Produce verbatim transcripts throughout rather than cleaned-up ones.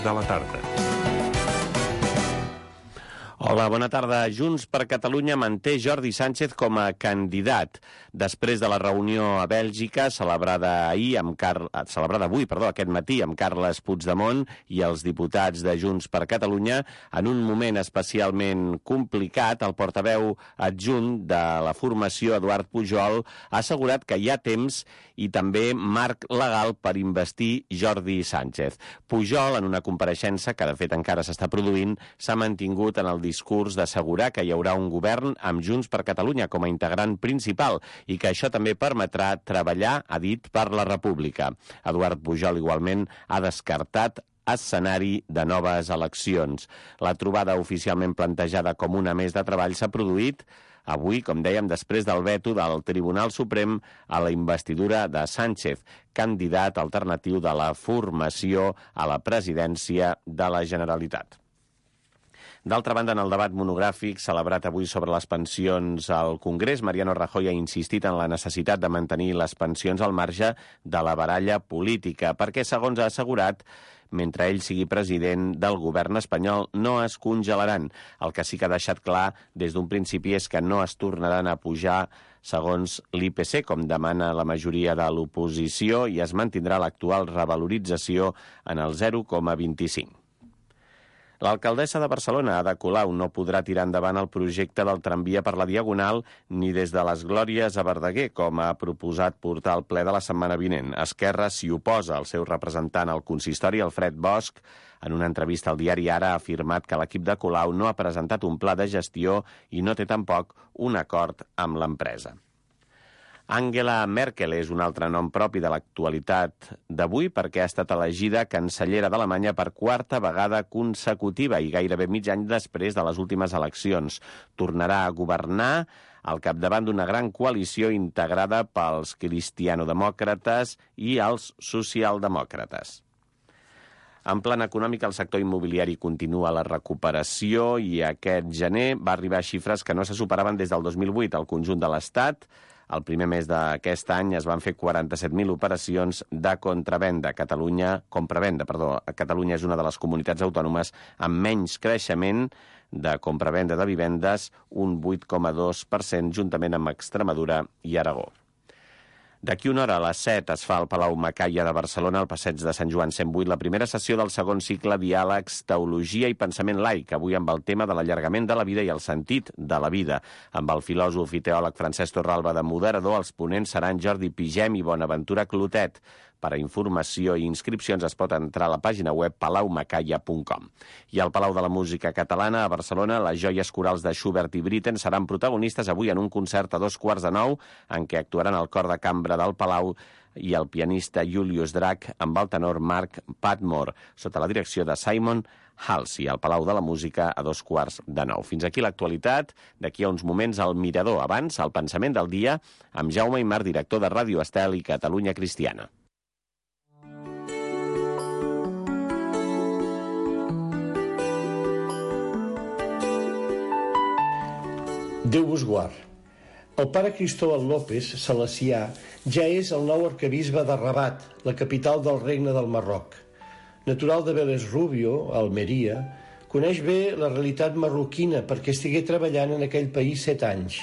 de la tarda. Hola, bona tarda. Junts per Catalunya manté Jordi Sánchez com a candidat. Després de la reunió a Bèlgica, celebrada ahir amb Car... celebrada avui, perdó, aquest matí, amb Carles Puigdemont i els diputats de Junts per Catalunya, en un moment especialment complicat, el portaveu adjunt de la formació, Eduard Pujol, ha assegurat que hi ha temps i també marc legal per investir Jordi Sánchez. Pujol, en una compareixença que de fet encara s'està produint, s'ha mantingut en el discurs d'assegurar que hi haurà un govern amb Junts per Catalunya com a integrant principal i que això també permetrà treballar, ha dit, per la República. Eduard Pujol igualment ha descartat escenari de noves eleccions. La trobada oficialment plantejada com una més de treball s'ha produït avui, com dèiem, després del veto del Tribunal Suprem a la investidura de Sánchez, candidat alternatiu de la formació a la presidència de la Generalitat. D'altra banda, en el debat monogràfic celebrat avui sobre les pensions al Congrés, Mariano Rajoy ha insistit en la necessitat de mantenir les pensions al marge de la baralla política, perquè, segons ha assegurat, mentre ell sigui president del govern espanyol, no es congelaran. El que sí que ha deixat clar des d'un principi és que no es tornaran a pujar segons l'I P C, com demana la majoria de l'oposició, i es mantindrà l'actual revalorització en el zero coma vint-i-cinc. L'alcaldessa de Barcelona, Ada Colau, no podrà tirar endavant el projecte del tramvia per la Diagonal ni des de les Glòries a Verdaguer, com ha proposat portar al ple de la setmana vinent. Esquerra s'hi oposa. El seu representant al consistori, Alfred Bosch, en una entrevista al diari Ara, ha afirmat que l'equip de Colau no ha presentat un pla de gestió i no té tampoc un acord amb l'empresa. Angela Merkel és un altre nom propi de l'actualitat d'avui perquè ha estat elegida cancellera d'Alemanya per quarta vegada consecutiva i gairebé mig any després de les últimes eleccions. Tornarà a governar al capdavant d'una gran coalició integrada pels cristianodemòcrates i els socialdemòcrates. En plan econòmic, el sector immobiliari continua la recuperació i aquest gener va arribar a xifres que no se superaven des del dos mil vuit. Al conjunt de l'Estat, el primer mes d'aquest any es van fer quaranta-set mil operacions de contravenda. Catalunya, compravenda, perdó. Catalunya és una de les comunitats autònomes amb menys creixement de compravenda de vivendes, un vuit coma dos per cent, juntament amb Extremadura i Aragó. D'aquí una hora a les set es fa al Palau Macaya de Barcelona, al passeig de Sant Joan cent vuit, la primera sessió del segon cicle Diàlegs, Teologia i Pensament Laic, avui amb el tema de l'allargament de la vida i el sentit de la vida. Amb el filòsof i teòleg Francesc Torralba de moderador, els ponents seran Jordi Pigem i Bonaventura Clotet. Per a informació i inscripcions es pot entrar a la pàgina web palau macaya punt com. I al Palau de la Música Catalana, a Barcelona, les joies corals de Schubert i Britten seran protagonistes avui en un concert a dos quarts de nou, en què actuaran el cor de cambra del Palau i el pianista Julius Drach amb el tenor Mark Padmore, sota la direcció de Simon Halsey, al Palau de la Música a dos quarts de nou. Fins aquí l'actualitat. D'aquí a uns moments al Mirador. Abans, el pensament del dia amb Jaume Aymar, director de Ràdio Estel i Catalunya Cristiana. Déu vos guard. El pare Cristóbal López, salesià, ja és el nou arquebisbe de Rabat, la capital del Regne del Marroc. Natural de Vélez Rubio, a Almeria, coneix bé la realitat marroquina perquè estigué treballant en aquell país set anys.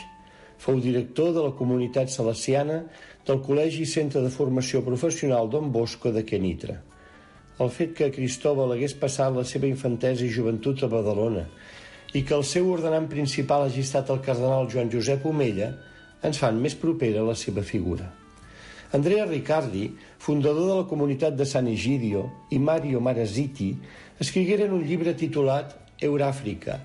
Fou director de la comunitat salesiana del Col·legi Centre de Formació Professional Don Bosco de Kenitra. El fet que Cristóbal hagués passat la seva infantesa i joventut a Badalona i que el seu ordenant principal hagi estat el cardenal Joan Josep Omella ens fan més propera la seva figura. Andrea Riccardi, fundador de la comunitat de Sant Egidio, i Mario Maraziti escrigueren un llibre titulat Euràfrica,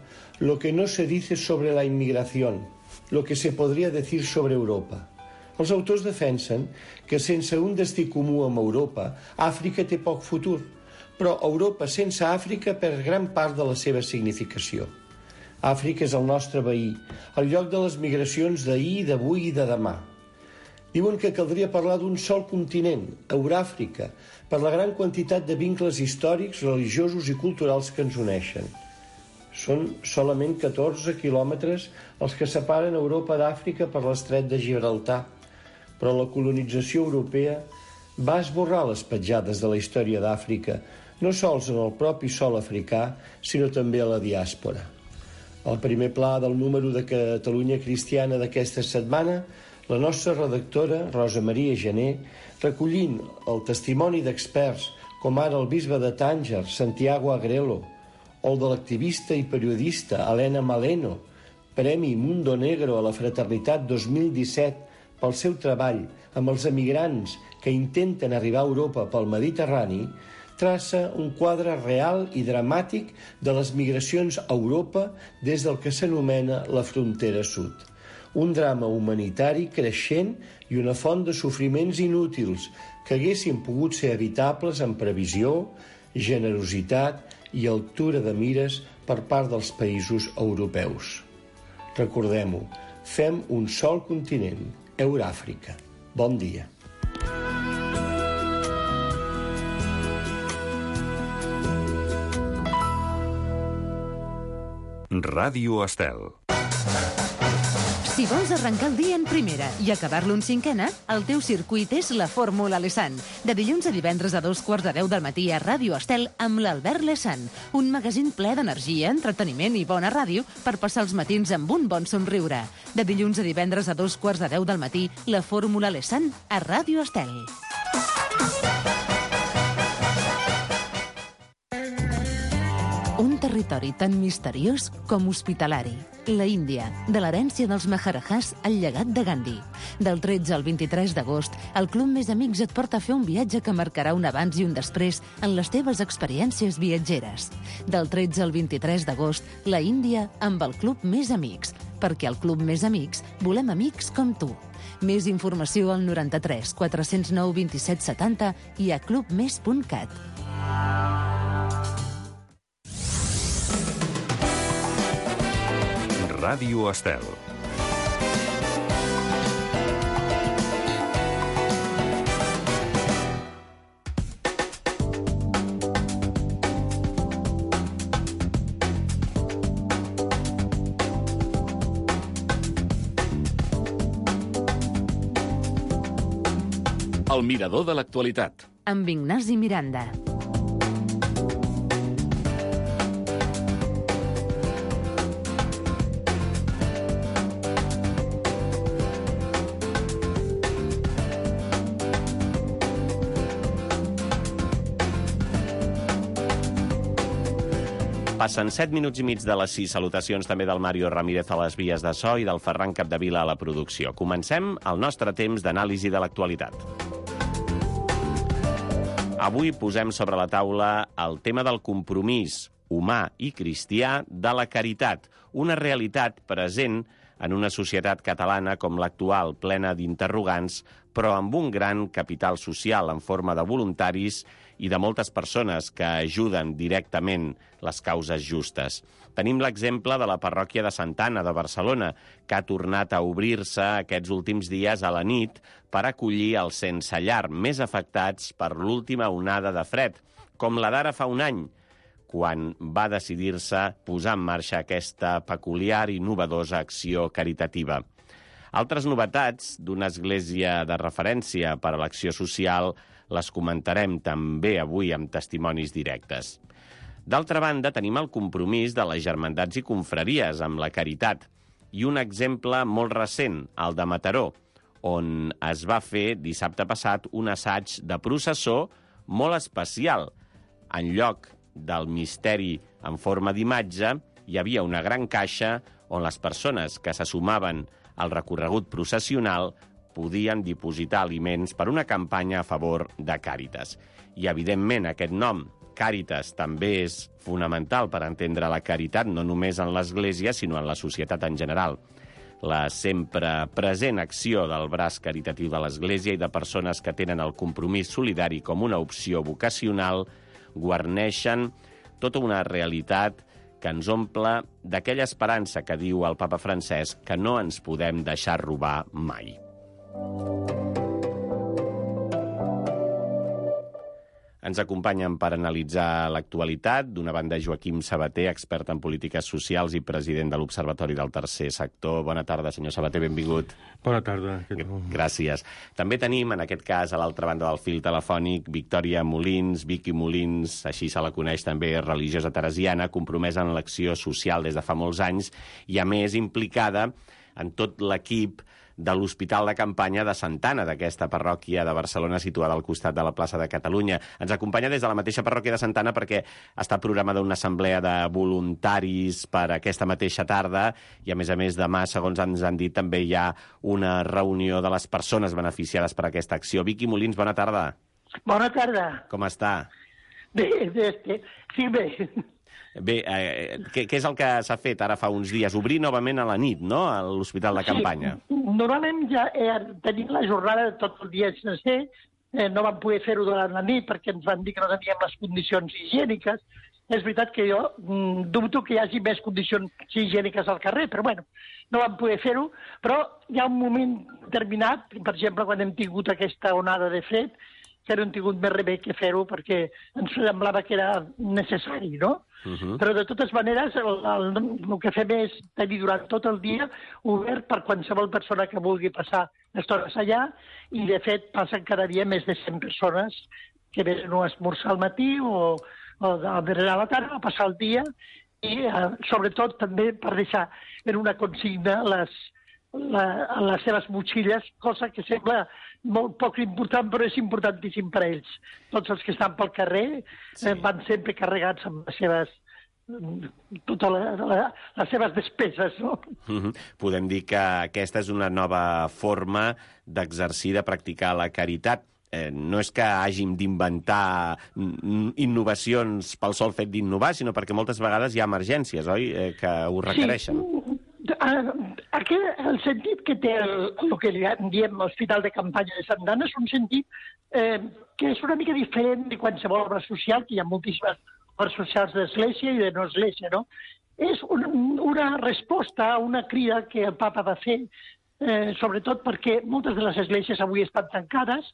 lo que no se dice sobre la inmigración, lo que se podría decir sobre Europa. Els autors defensen que sense un destí comú amb Europa, Àfrica té poc futur, però Europa sense Àfrica perd gran part de la seva significació. Àfrica és el nostre veí, el lloc de les migracions d'ahir, d'avui i de demà. Diuen que caldria parlar d'un sol continent, Euràfrica, per la gran quantitat de vincles històrics, religiosos i culturals que ens uneixen. Són solament catorze quilòmetres els que separen Europa d'Àfrica per l'estret de Gibraltar, però la colonització europea va esborrar les petjades de la història d'Àfrica, no sols en el propi sòl africà, sinó també a la diàspora. Al primer pla del número de Catalunya Cristiana d'aquesta setmana, la nostra redactora, Rosa Maria Gené, recollint el testimoni d'experts com ara el bisbe de Tànger, Santiago Agrelo, o el de l'activista i periodista Helena Maleno, Premi Mundo Negro a la Fraternitat dos mil disset pel seu treball amb els emigrants que intenten arribar a Europa pel Mediterrani, traça un quadre real i dramàtic de les migracions a Europa des del que s'anomena la frontera sud. Un drama humanitari creixent i una font de sofriments inútils que haguessin pogut ser evitables amb previsió, generositat i altura de mires per part dels països europeus. Recordem-ho, fem un sol continent, Euràfrica. Bon dia. Ràdio Estel. Si vols arrencar el dia en primera i acabar-lo en cinquena, el teu circuit és la Fórmula Lesan. De dilluns a divendres a dos quarts de deu del matí a Ràdio Estel amb l'Albert Lesan. Un magazín ple d'energia, entreteniment i bona ràdio per passar els matins amb un bon somriure. De dilluns a divendres a dos quarts de deu del matí, la Fórmula Lesan a Ràdio Estel. Un territori tan misteriós com hospitalari. La Índia, de l'herència dels Maharajahs al llegat de Gandhi. Del tretze al vint-i-tres d'agost, el Club Més Amics et porta a fer un viatge que marcarà un abans i un després en les teves experiències viatgeres. Del tretze al vint-i-tres d'agost, la Índia amb el Club Més Amics, perquè al Club Més Amics volem amics com tu. Més informació al noranta-tres quatre-cents nou vint-i-set setanta i a club més punt cat. Ràdio Estel. El mirador de l'actualitat. Amb Ignasi Miranda. Passen set minuts i mig de les sis. Salutacions també del Mario Ramírez a les vies de so i del Ferran Capdevila a la producció. Comencem el nostre temps d'anàlisi de l'actualitat. Avui posem sobre la taula el tema del compromís humà i cristià de la caritat, una realitat present en una societat catalana com l'actual, plena d'interrogants, però amb un gran capital social en forma de voluntaris i de moltes persones que ajuden directament les causes justes. Tenim l'exemple de la parròquia de Santa Anna de Barcelona, que ha tornat a obrir-se aquests últims dies a la nit per acollir els sense llar més afectats per l'última onada de fred, com la d'ara fa un any, quan va decidir-se posar en marxa aquesta peculiar i innovadora acció caritativa. Altres novetats d'una església de referència per a l'acció social les comentarem també avui amb testimonis directes. D'altra banda, tenim el compromís de les germandats i confraries amb la caritat i un exemple molt recent, el de Mataró, on es va fer dissabte passat un assaig de processó molt especial. En lloc del misteri en forma d'imatge, hi havia una gran caixa on les persones que se sumaven al recorregut processional podien dipositar aliments per una campanya a favor de Càritas. I, evidentment, aquest nom, Càritas, també és fonamental per entendre la caritat, no només en l'Església, sinó en la societat en general. La sempre present acció del braç caritatiu de l'Església i de persones que tenen el compromís solidari com una opció vocacional guarneixen tota una realitat que ens omple d'aquella esperança que diu el papa Francesc que no ens podem deixar robar mai. Ens acompanyen per analitzar l'actualitat. D'una banda, Joaquim Sabater, expert en polítiques socials i president de l'Observatori del Tercer Sector. Bona tarda, senyor Sabater, benvingut. Bona tarda. Gràcies. També tenim, en aquest cas, a l'altra banda del fil telefònic, Victòria Molins, Vicky Molins, així se la coneix també, religiosa teresiana, compromesa en l'acció social des de fa molts anys i, a més, implicada en tot l'equip de l'Hospital de Campanya de Santa Anna, d'aquesta parròquia de Barcelona situada al costat de la plaça de Catalunya. Ens acompanya des de la mateixa parròquia de Santa Anna perquè està programada una assemblea de voluntaris per aquesta mateixa tarda i, a més a més, demà, segons ens han dit, també hi ha una reunió de les persones beneficiades per aquesta acció. Vicky Molins, bona tarda. Bona tarda. Com està? Bé, bé, bé. Sí, bé. Bé, eh, què, què és el que s'ha fet ara fa uns dies? Obrir novament a la nit, no?, a l'Hospital de Campanya. Sí, normalment ja eh, tenim la jornada tot el dia sencer, eh, no vam poder fer-ho durant la nit perquè ens van dir que no teníem les condicions higièniques. És veritat que jo mm, dubto que hi hagi més condicions higièniques al carrer, però bueno, no vam poder fer-ho. Però hi ha un moment determinat, per exemple, quan hem tingut aquesta onada de fred, que no hem tingut més remei que fer-ho perquè ens semblava que era necessari, no? Uh -huh. Però, de totes maneres, el, el, el que fem és tenir durant tot el dia obert per qualsevol persona que vulgui passar estones allà i, de fet, passen cada dia més de cent persones que venen a esmorzar al matí o, o a berenar a la tarda, a passar el dia i, eh, sobretot, també per deixar en una consigna les, la, les seves motxilles, cosa que sembla molt poc important, però és importantíssim per a ells. Tots els que estan pel carrer sí. eh, van sempre carregats amb les seves totes la, la, les seves despeses, no? Uh-huh. Podem dir que aquesta és una nova forma d'exercir, de practicar la caritat. Eh, no és que hàgim d'inventar innovacions pel sol fet d'innovar, sinó perquè moltes vegades hi ha emergències, oi?, eh, que ho requereixen. Sí. Aquest, el sentit que té el, el que diem l'Hospital de Campanya de Santa Anna és un sentit eh, que és una mica diferent de qualsevol obra social, que hi ha moltíssimes obres socials d'església i de no església, no? És un, una resposta a una crida que el papa va fer, eh, sobretot perquè moltes de les esglésies avui estan tancades,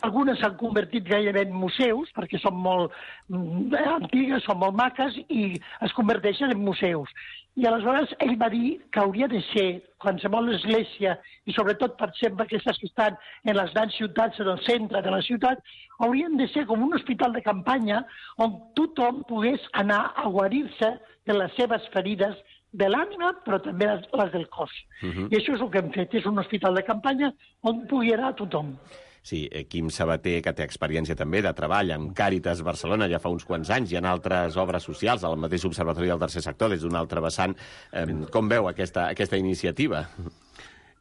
algunes s'han convertit gairebé en museus, perquè són molt mm, antigues, són molt maques, i es converteixen en museus. I aleshores ell va dir que hauria de ser qualsevol església, i sobretot, per exemple, aquestes que estan en les grans ciutats, en el centre de la ciutat, haurien de ser com un hospital de campanya on tothom pogués anar a guarir-se de les seves ferides de l'ànima, però també les, les del cos. Uh-huh. I això és el que hem fet, és un hospital de campanya on pugui anar tothom. Sí, Quim Sabater, que té experiència també de treball amb Càritas Barcelona ja fa uns quants anys i en altres obres socials, al mateix Observatori del Tercer Sector, des d'un altre vessant. Eh, com veu aquesta, aquesta iniciativa?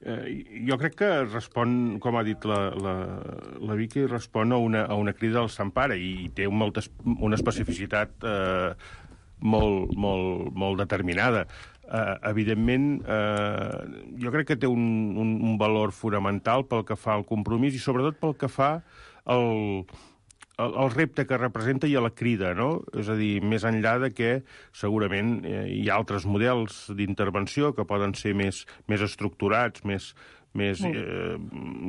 Eh, jo crec que respon, com ha dit la, la, la Vicky, respon a una, a una crida del Sant Pare i té molta, una especificitat eh, molt, molt, molt determinada. Uh, evidentment, uh, jo crec que té un, un, un valor fonamental pel que fa al compromís i sobretot pel que fa al, al, al repte que representa i a la crida, no? És a dir, més enllà de que segurament eh, hi ha altres models d'intervenció que poden ser més, més estructurats, més, més, eh,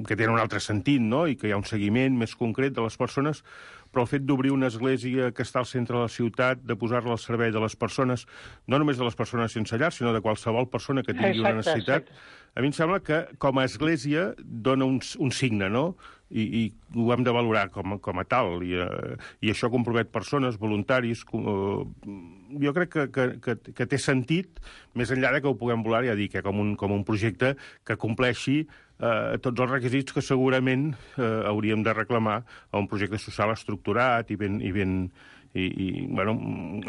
que tenen un altre sentit, no? I que hi ha un seguiment més concret de les persones, però el fet d'obrir una església que està al centre de la ciutat, de posar-la al servei de les persones, no només de les persones sense llar, sinó de qualsevol persona que tingui exacte, una necessitat, exacte. A mi em sembla que com a església dona un, un signe, no? I, i ho hem de valorar com, com a tal, i, uh, i això compromet persones, voluntaris. Uh, jo crec que, que, que, que té sentit, més enllà de que ho puguem volar, ja dic, eh, com, un, com un projecte que compleixi uh, tots els requisits que segurament uh, hauríem de reclamar a un projecte social estructurat i ben... I ben i, i bueno,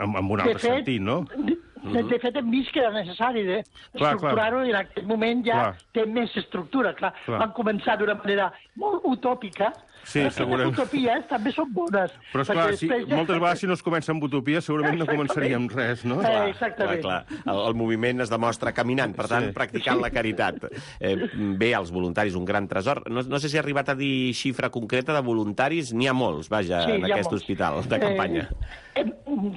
amb, amb un altre fet, sentit, no? De, de fet, hem vist que era necessari estructurar-ho i en aquest moment ja clar. Té més estructura. Clar. Clar. Van començar d'una manera molt utòpica, sí, però les utopies també són bones. Però, esclar, si, ja... moltes vegades si no es comença amb utopia segurament no començaríem res, no? Eh, exactament. Clar, clar. El, el moviment es demostra caminant, per tant, sí. practicant la caritat. Eh, bé, els voluntaris, un gran tresor. No, no sé si ha arribat a dir xifra concreta de voluntaris, n'hi ha molts, vaja, sí, en aquest molts. Hospital de campanya. Eh,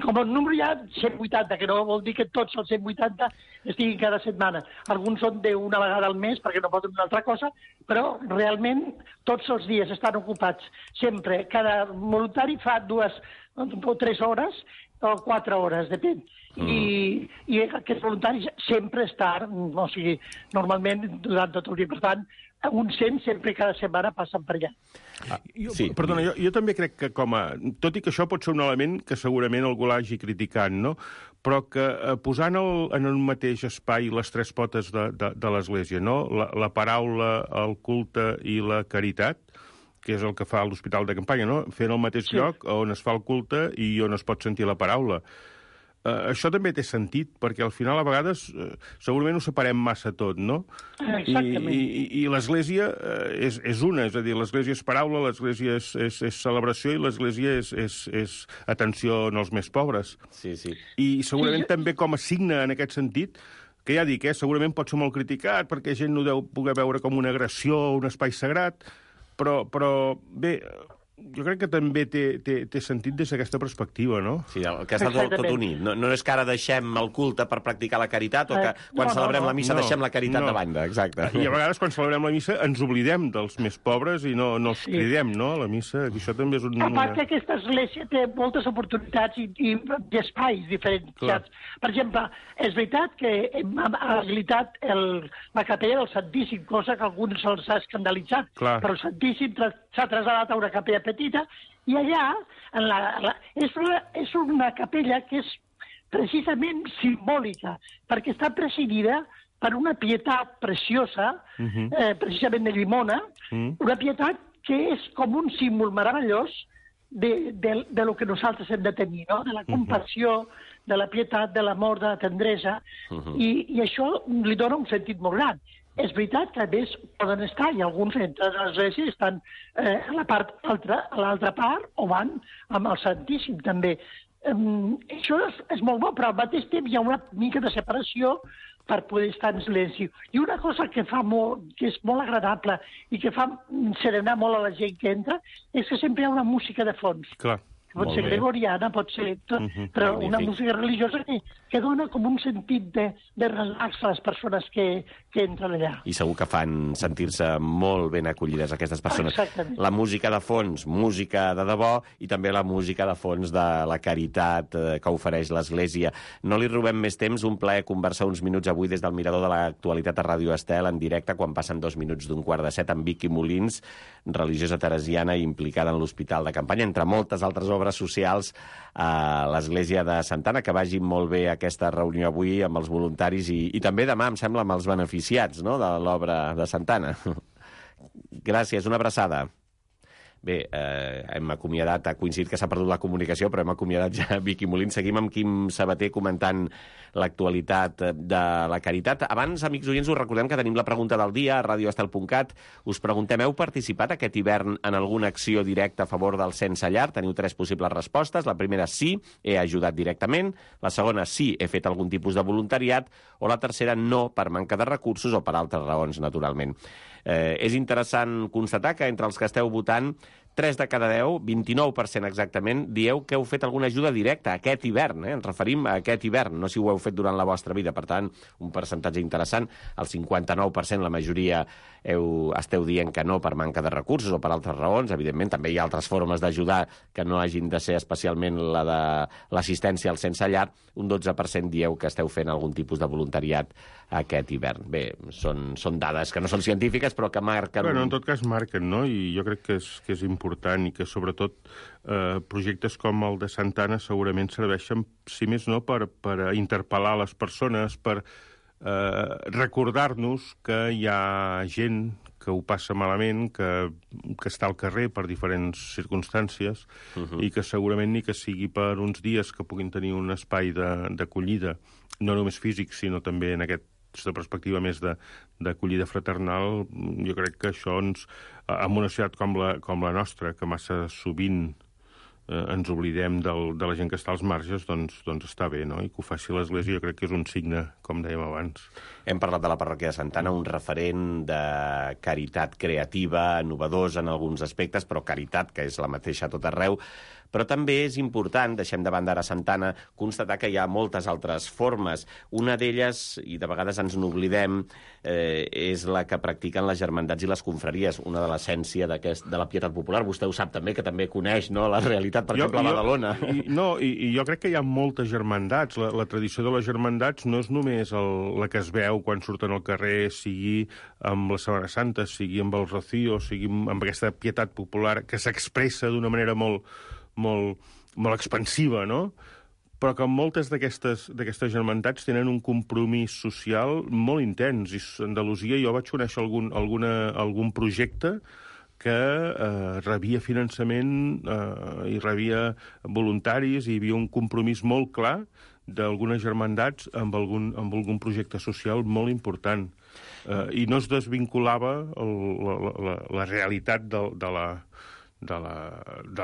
com el número hi ha cent vuitanta, que no vol dir que tots els cent vuitanta estiguin cada setmana. Alguns són d'una vegada al mes perquè no poden una altra cosa, però realment tots els dies estan ocupats. Sempre, cada voluntari fa dues o tres hores o quatre hores, depèn. Mm. I, I aquests voluntaris sempre estan, o sigui, normalment durant tot el dia. Per tant, uns cent sempre cada setmana passen per allà. Ah, jo, sí. Perdona, jo, jo també crec que com a... Tot i que això pot ser un element que segurament algú l'hagi criticat, no? Però que eh, posant el, en el mateix espai les tres potes de, de, de l'Església, no? La, la paraula, el culte i la caritat, que és el que fa l'Hospital de Campanya, no? Fent el mateix sí. lloc on es fa el culte i on es pot sentir la paraula. Uh, això també té sentit, perquè al final a vegades uh, segurament ho separem massa tot, no? Exactament. I, i, i l'Església uh, és, és una, és a dir, l'Església és paraula, l'Església és, és, és celebració i l'Església és, és, és atenció als més pobres. Sí, sí. I segurament sí, jo... també com a signe en aquest sentit, que ja dic, eh, segurament pot ser molt criticat, perquè gent no deu poder veure com una agressió o un espai sagrat, però, però bé... Jo crec que també té, té, té sentit des d'aquesta perspectiva, no? Sí, el que està tot, tot unit. No, no és que ara deixem el culte per practicar la caritat o que quan no, celebrem no, no. la missa no, deixem la caritat no. de banda, exacte. I a vegades quan celebrem la missa ens oblidem dels més pobres i no, no els Sí. cridem, no?, a la missa. Això també és un... A part que aquesta església té moltes oportunitats i, i, i espais diferenciats. Per exemple, és veritat que hem habilitat el, la capella del Santíssim, cosa que a alguns els ha escandalitzat, Clar. però el Santíssim tra s'ha traslladat a una capella petita i allà en la, la, és, una, és una capella que és precisament simbòlica, perquè està presidida per una pietat preciosa, uh -huh. eh, precisament de Llimona, uh -huh. una pietat que és com un símbol meravellós de, de, de lo que nosaltres hem de tenir, no? De la compassió, uh -huh. de la pietat, de l'amor, de la tendresa, uh -huh. i, i això li dona un sentit molt gran. És veritat que a més poden estar, i alguns entre les esglésies estan eh, a la part altra, a l'altra part, o van amb el Santíssim també. Um, això és, és molt bo, però al mateix temps hi ha una mica de separació per poder estar en silenci. I una cosa que fa molt, que és molt agradable i que fa serenar molt a la gent que entra, és que sempre hi ha una música de fons. Clar. Pot Molt ser bé. gregoriana, pot ser tot, Uh -huh. però Magnífic. una música religiosa que, que dona com un sentit de, de relax a les persones que, que entren allà. I segur que fan sentir-se molt ben acollides aquestes persones. Exactament. La música de fons, música de debò, i també la música de fons de la caritat eh, que ofereix l'Església. No li robem més temps, un plaer conversar uns minuts avui des del Mirador de l'Actualitat a Ràdio Estel, en directe, quan passen dos minuts d'un quart de set, amb Vicky Molins, religiosa teresiana implicada en l'Hospital de Campanya, entre moltes altres obres socials a l'Església de Santa Anna. Que vagi molt bé aquesta reunió avui amb els voluntaris i, i també demà, em sembla, amb els beneficiats, no?, de l'obra de Santa Anna. Gràcies, una abraçada. Bé, eh, hem acomiadat, ha coincidit que s'ha perdut la comunicació, però hem acomiadat ja Vicky Molins. Seguim amb Quim Sabater comentant l'actualitat de la caritat. Abans, amics oients, us recordem que tenim la pregunta del dia a radio estel punt cat. Us preguntem, heu participat aquest hivern en alguna acció directa a favor del sense llar? Teniu tres possibles respostes. La primera, sí, he ajudat directament. La segona, sí, he fet algun tipus de voluntariat. O la tercera, no, per manca de recursos o per altres raons, naturalment. Eh, és interessant constatar que entre els que esteu votant, tres de cada deu, vint-i-nou per cent exactament, dieu que heu fet alguna ajuda directa aquest hivern, eh? Ens referim a aquest hivern, no si ho heu fet durant la vostra vida. Per tant, un percentatge interessant, el cinquanta-nou per cent, la majoria heu, esteu dient que no per manca de recursos o per altres raons. Evidentment, també hi ha altres formes d'ajudar que no hagin de ser especialment la de l'assistència al sense llar. Un dotze per cent dieu que esteu fent algun tipus de voluntariat aquest hivern. Bé, són, són dades que no són científiques, però que marquen... Bueno, en tot cas marquen, no? I jo crec que és, que és important i que, sobretot, eh, projectes com el de Santa Anna segurament serveixen, si més no, per, per interpel·lar les persones, per eh, recordar-nos que hi ha gent que ho passa malament, que, que està al carrer per diferents circumstàncies uh -huh. i que segurament ni que sigui per uns dies que puguin tenir un espai d'acollida, no només físic, sinó també en aquest aquesta perspectiva més d'acollida fraternal. Jo crec que això ens, en una societat com la, com la nostra, que massa sovint eh, ens oblidem del, de la gent que està als marges, doncs, doncs està bé, no? I que ho faci l'Església jo crec que és un signe, com dèiem abans. Hem parlat de la parròquia de Santa Anna, un referent de caritat creativa, innovadors en alguns aspectes, però caritat, que és la mateixa a tot arreu. Però també és important, deixem de banda ara Santana, constatar que hi ha moltes altres formes. Una d'elles, i de vegades ens n'oblidem, eh, és la que practiquen les germandats i les confraries, una de l'essència de la pietat popular. Vostè ho sap també, que també coneix, no?, la realitat, per jo, exemple, a Badalona. I, no, i, i jo crec que hi ha moltes germandats. La, la tradició de les germandats no és només el, la que es veu quan surten al carrer, sigui amb la Setmana Santa, sigui amb el Rocío, sigui amb aquesta pietat popular que s'expressa d'una manera molt, molt, molt expansiva, no?, però que moltes d'aquestes germandats tenen un compromís social molt intens. I a Andalusia jo vaig conèixer algun, alguna, algun projecte que eh, rebia finançament eh, i rebia voluntaris, i hi havia un compromís molt clar d'algunes germandats amb algun, amb algun projecte social molt important. Eh, I no es desvinculava el, la, la, la realitat de, de la... de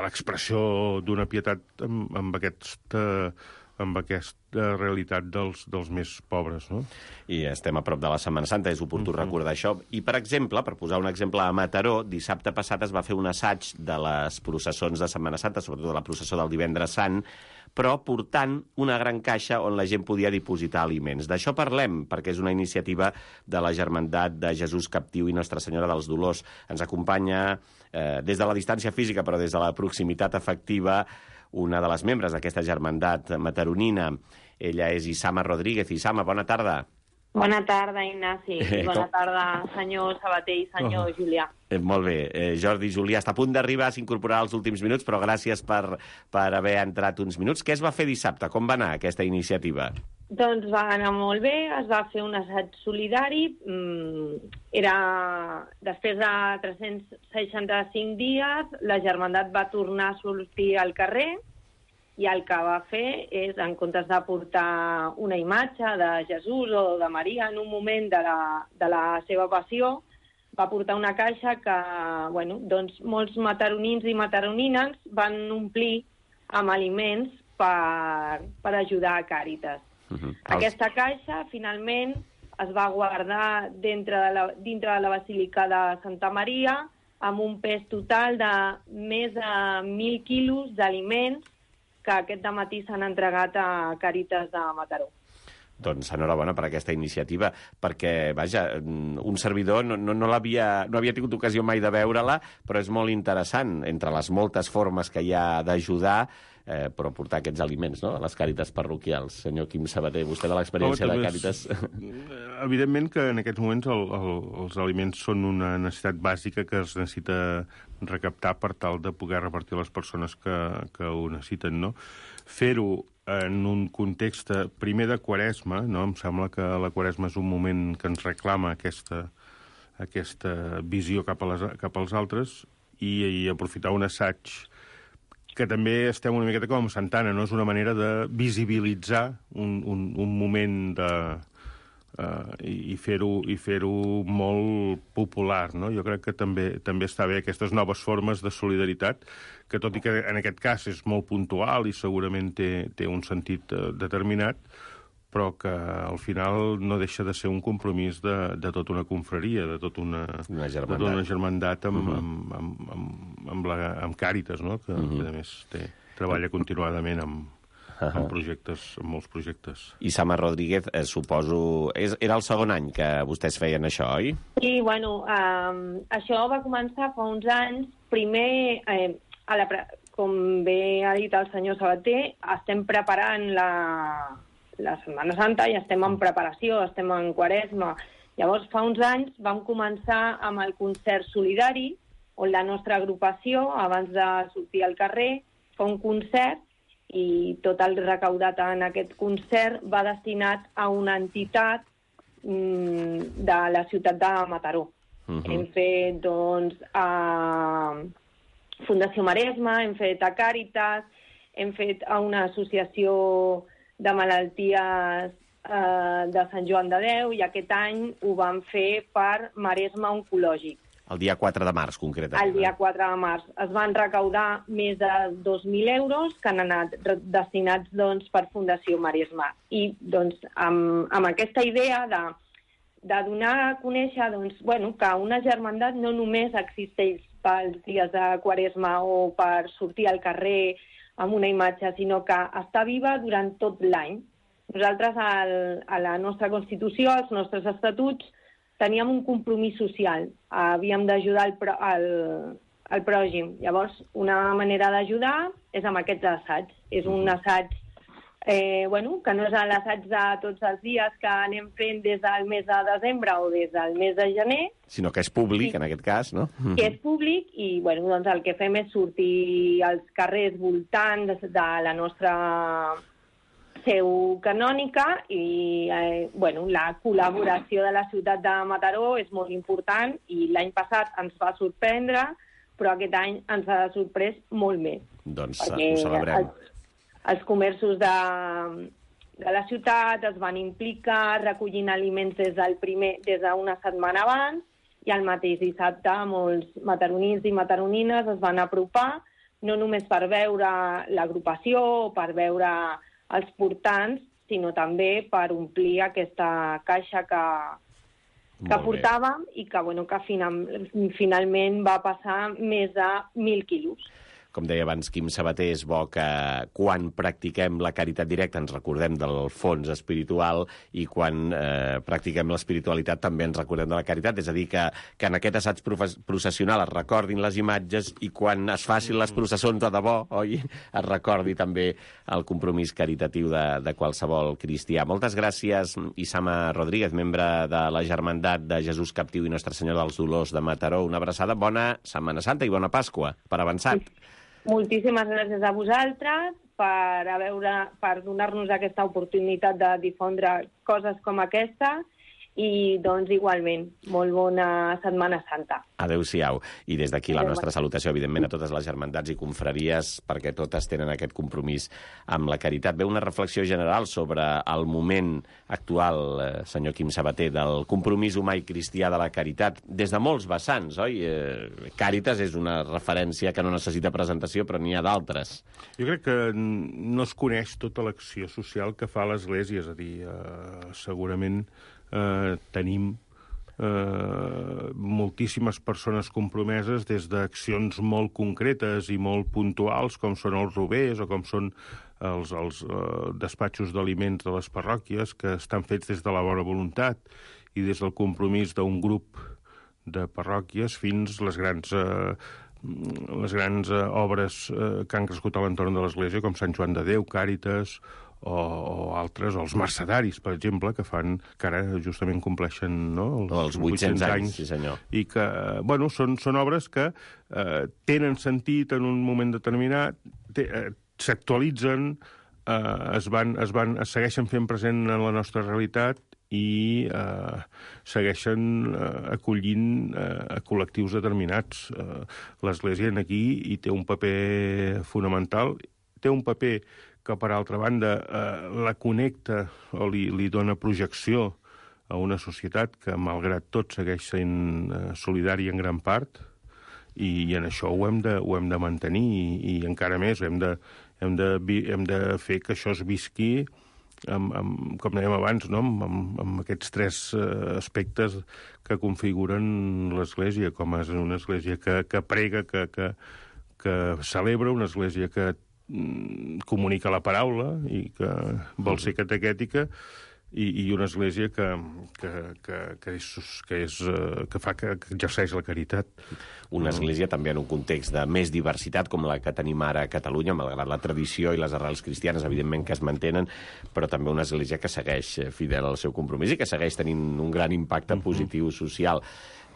l'expressió d'una pietat amb, amb, aquesta, amb aquesta realitat dels, dels més pobres, no? I estem a prop de la Setmana Santa, és oportú mm-hmm. recordar això. I, per exemple, per posar un exemple a Mataró, dissabte passat es va fer un assaig de les processons de Setmana Santa, sobretot de la processó del Divendres Sant, però portant una gran caixa on la gent podia dipositar aliments. D'això parlem, perquè és una iniciativa de la Germandat de Jesús Captiu i Nostra Senyora dels Dolors. Ens acompanya eh, des de la distància física, però des de la proximitat afectiva, una de les membres d'aquesta germandat mataronina. Ella és Isama Rodríguez. Isama, bona tarda. Bona tarda, Ignasi. I bona tarda, senyor Sabater i senyor oh. Julià. Eh, molt bé. Eh, Jordi Julià està a punt d'arribar, s'incorporarà als últims minuts, però gràcies per, per haver entrat uns minuts. Què es va fer dissabte? Com va anar aquesta iniciativa? Doncs va anar molt bé, es va fer un assaig solidari. Era, després de tres-cents seixanta-cinc dies, la germandat va tornar a sortir al carrer, i el que va fer és, en comptes de portar una imatge de Jesús o de Maria en un moment de la, de la seva passió, va portar una caixa que, bueno, doncs molts mataronins i mataronines van omplir amb aliments per, per ajudar a Càritas. Uh-huh. Aquesta caixa, finalment, es va guardar dintre de la, dintre de la Basílica de Santa Maria amb un pes total de més de mil quilos d'aliments que aquest dematí s'han entregat a Càritas de Mataró. Doncs enhorabona per aquesta iniciativa, perquè, vaja, un servidor no, no, no, l'havia, no havia tingut ocasió mai de veure-la, però és molt interessant, entre les moltes formes que hi ha d'ajudar, eh, però portar aquests aliments, no?, a les Càritas parroquials. Senyor Quim Sabater, vostè de l'experiència no, de Càritas... Evidentment que en aquests moments el, el, els aliments són una necessitat bàsica que es necessita recaptar per tal de poder repartir a les persones que, que ho necessiten, no? Fer-ho en un context primer de Quaresma, no? Em sembla que la Quaresma és un moment que ens reclama aquesta, aquesta visió cap, a les, cap als altres, i, i aprofitar un assaig que també estem una miqueta com Santana, no? És una manera de visibilitzar un, un, un moment de... Uh, i fer-ho i fer-ho molt popular, no? Jo crec que també també està bé aquestes noves formes de solidaritat, que tot i que en aquest cas és molt puntual i segurament té, té un sentit uh, determinat, però que al final no deixa de ser un compromís de, de tota una confraria, de tota una, una germandat, de tota una germandat amb, uh-huh. amb, amb, amb, amb, la, amb Càritas, no? Que, uh-huh. que a més té, treballa continuadament amb Uh-huh. amb projectes, amb molts projectes. Isama Rodríguez, eh, suposo... És, era el segon any que vostès feien això, oi? Sí, bueno, um, això va començar fa uns anys. Primer, eh, a la, com bé ha dit el senyor Sabater, estem preparant la, la Setmana Santa i estem en preparació, estem en Quaresma. Llavors, fa uns anys vam començar amb el concert solidari, on la nostra agrupació, abans de sortir al carrer, fa un concert, i tot el recaudat en aquest concert va destinat a una entitat mm, de la ciutat de Mataró. Uh-huh. Hem fet, doncs, a Fundació Maresma, hem fet a Càritas, hem fet a una associació de malalties eh, de Sant Joan de Déu, i aquest any ho vam fer per Maresma Oncològic. El dia quatre de març, concretament. El dia quatre de març. Es van recaudar més de dos mil euros que han anat destinats, doncs, per Fundació Maresma. I, doncs, amb, amb aquesta idea de, de donar a conèixer, doncs, bueno, que una germandat no només existeix pels dies de Quaresma o per sortir al carrer amb una imatge, sinó que està viva durant tot l'any. Nosaltres, al, a la nostra Constitució, als nostres estatuts, teníem un compromís social. Havíem d'ajudar el, pro, el, el pròxim. Llavors, una manera d'ajudar és amb aquests assaigs. És un assaig eh, bueno, que no és l'assaig de tots els dies que anem fent des del mes de desembre o des del mes de gener, sinó que és públic, en aquest cas, no? Que és públic i bueno, doncs el que fem és sortir als carrers voltants de la nostra seu canònica i eh, bueno, la col·laboració de la ciutat de Mataró és molt important i l'any passat ens va sorprendre, però aquest any ens ha sorprès molt més. Doncs ho celebrem. Els, els comerços de, de la ciutat es van implicar recollint aliments des del primer, des d'una setmana abans, i el mateix dissabte molts mataronins i mataronines es van apropar, no només per veure l'agrupació o per veure els portants, sinó també per omplir aquesta caixa que, que portàvem i que, bueno, que final, finalment va passar més de mil quilos. Com deia abans Quim Sabater, és bo que quan practiquem la caritat directa ens recordem del fons espiritual i quan eh, practiquem l'espiritualitat també ens recordem de la caritat. És a dir, que, que en aquest assaig processional es recordin les imatges i quan es facin les processons de debò, oi? Es recordi també el compromís caritatiu de, de qualsevol cristià. Moltes gràcies, Isama Rodríguez, membre de la Germandat de Jesús Captiu i Nostra Senyora dels Dolors de Mataró. Una abraçada, bona Setmana Santa i bona Pasqua, per avançat. Moltíssimes gràcies a vosaltres per, a veure, per donar-nos aquesta oportunitat de difondre coses com aquesta i, doncs, igualment, molt bona Setmana Santa. Adéu-siau. I des d'aquí la nostra salutació, evidentment, a totes les germandats i confraries, perquè totes tenen aquest compromís amb la caritat. Ve una reflexió general sobre el moment actual, eh, senyor Quim Sabater, del compromís humà i cristià de la caritat, des de molts vessants, oi? Eh, Càritas és una referència que no necessita presentació, però n'hi ha d'altres. Jo crec que no es coneix tota l'acció social que fa l'Església, és a dir, eh, segurament eh, tenim eh, moltíssimes persones compromeses des d'accions molt concretes i molt puntuals, com són els rovers o com són els, els eh, despatxos d'aliments de les parròquies, que estan fets des de la bona voluntat i des del compromís d'un grup de parròquies fins les grans, eh, les grans eh, obres eh, que han crescut a l'entorn de l'Església, com Sant Joan de Déu, Càritas, o, o altres, o els mercedaris, per exemple, que fan, que ara justament compleixen, no, els, o els vuit-cents anys, sí senyor. I que, bueno, són, són obres que eh, tenen sentit en un moment determinat, te, eh, s'actualitzen, eh, es, van, es, van, es segueixen fent present en la nostra realitat i eh, segueixen eh, acollint eh, a col·lectius determinats. Eh, L'Església aquí hi té un paper fonamental, té un paper que, per altra banda, eh, la connecta o li, li dona projecció a una societat que, malgrat tot, segueix sent eh, solidària en gran part, i, i en això ho hem de, ho hem de mantenir, i, i encara més, hem de, hem, de, hem de fer que això es visqui, amb, amb, com dèiem abans, no? amb, amb, amb aquests tres eh, aspectes que configuren l'Església, com és una església que, que prega, que, que, que celebra, una església que comunica la paraula i que vol ser catequètica, i, i una església que, que, que, que, és, que, és, que fa que, que exerceix la caritat. Una església també en un context de més diversitat com la que tenim ara a Catalunya, malgrat la tradició i les arrels cristianes, evidentment, que es mantenen, però també una església que segueix fidel al seu compromís i que segueix tenint un gran impacte positiu social.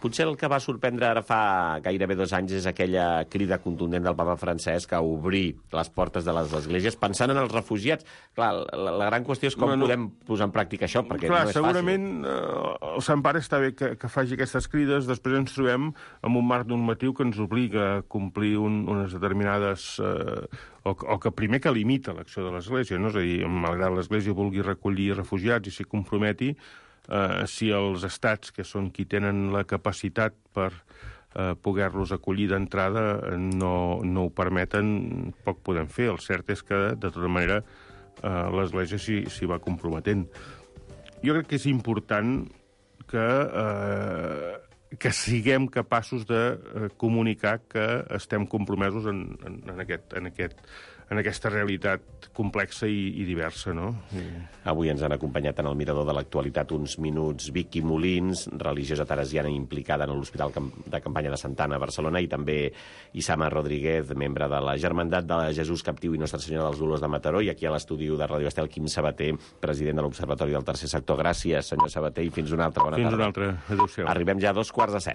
Potser el que va sorprendre ara fa gairebé dos anys és aquella crida contundent del papa Francesc a obrir les portes de les esglésies pensant en els refugiats. Clar, la, la gran qüestió és com bueno, podem posar en pràctica això, perquè clar, no és segurament, fàcil. Segurament eh, el Sant Pare està bé que, que faci aquestes crides, després ens trobem amb un marc normatiu que ens obliga a complir un, unes determinades... Eh, o, o que primer que limita l'acció de l'Església, no? És a dir, malgrat l'Església vulgui recollir refugiats i s'hi comprometi, Uh, si els estats, que són qui tenen la capacitat per uh, poder-los acollir d'entrada, no, no ho permeten, poc podem fer. El cert és que, de tota manera, uh, l'Església s'hi va comprometent. Jo crec que és important que uh, que siguem capaços de eh, comunicar que estem compromesos en, en, en, aquest, en, aquest, en aquesta realitat complexa i, i diversa, no? I... Avui ens han acompanyat en el Mirador de l'Actualitat uns minuts Vicky Molins, religiosa teresiana implicada en l'Hospital de Campanya de Santana a Barcelona, i també Isama Rodríguez, membre de la Germandat de Jesús Captiu i Nostra Senyora dels Dolors de Mataró, i aquí a l'estudi de Ràdio Estel, Quim Sabater, president de l'Observatori del Tercer Sector. Gràcies, senyor Sabater, i fins una altra. Bona fins tarda. Fins una altra. Adéu-siau. Arribem ja a dos quarts de set.